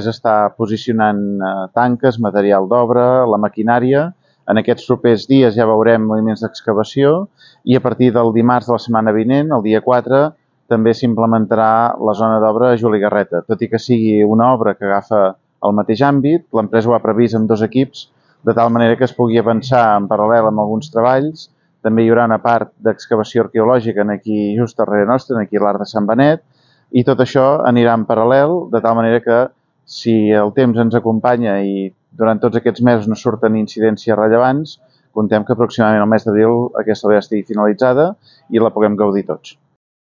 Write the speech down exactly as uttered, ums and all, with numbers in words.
està posicionant eh, tanques, material d'obra, la maquinària. En aquests propers dies ja veurem moviments d'excavació i a partir del dimarts de la setmana vinent, el dia quatre, també s'implementarà la zona d'obra a Juli Garreta. Tot i que sigui una obra que agafa el mateix àmbit, l'empresa ho ha previst amb dos equips, de tal manera que es pugui avançar en paral·lel amb alguns treballs. També hi haurà una part d'excavació arqueològica aquí just darrere nostre, aquí a l'Arc de Sant Benet, i tot això anirà en paral·lel, de tal manera que si el temps ens acompanya i durant tots aquests mesos no surten incidències rellevants, contem que aproximadament el mes d'abril aquesta obra estigui finalitzada i la puguem gaudir tots.